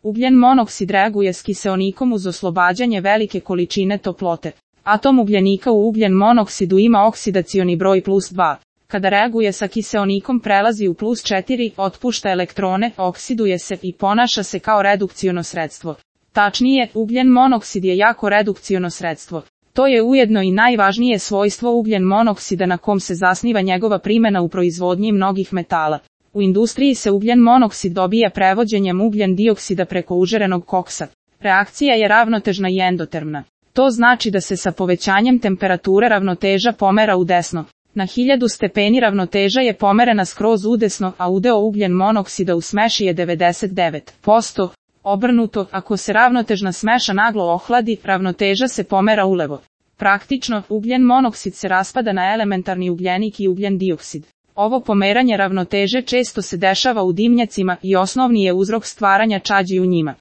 Ugljen monoksid reaguje s kiseonikom uz oslobađanje velike količine toplote. Atom ugljenika u ugljen monoksidu ima oksidacioni broj +2. Kada reaguje sa kiseonikom prelazi u +4, otpušta elektrone, oksiduje se i ponaša se kao redukciono sredstvo. Tačnije, ugljen monoksid je jako redukciono sredstvo. To je ujedno i najvažnije svojstvo ugljen monoksida na kom se zasniva njegova primjena u proizvodnji mnogih metala. U industriji se ugljen monoksid dobija prevođenjem ugljen dioksida preko užarenog koksa. Reakcija je ravnotežna i endotermna. To znači da se sa povećanjem temperature ravnoteža pomera u desno. Na 1000 stepeni ravnoteža je pomerena skroz udesno, a udeo ugljen monoksida u smeši je 99%. Obrnuto, ako se ravnotežna smeša naglo ohladi, ravnoteža se pomera ulevo. Praktično, ugljen monoksid se raspada na elementarni ugljenik i ugljen dioksid. Ovo pomeranje ravnoteže često se dešava u dimnjacima i osnovni je uzrok stvaranja čađi u njima.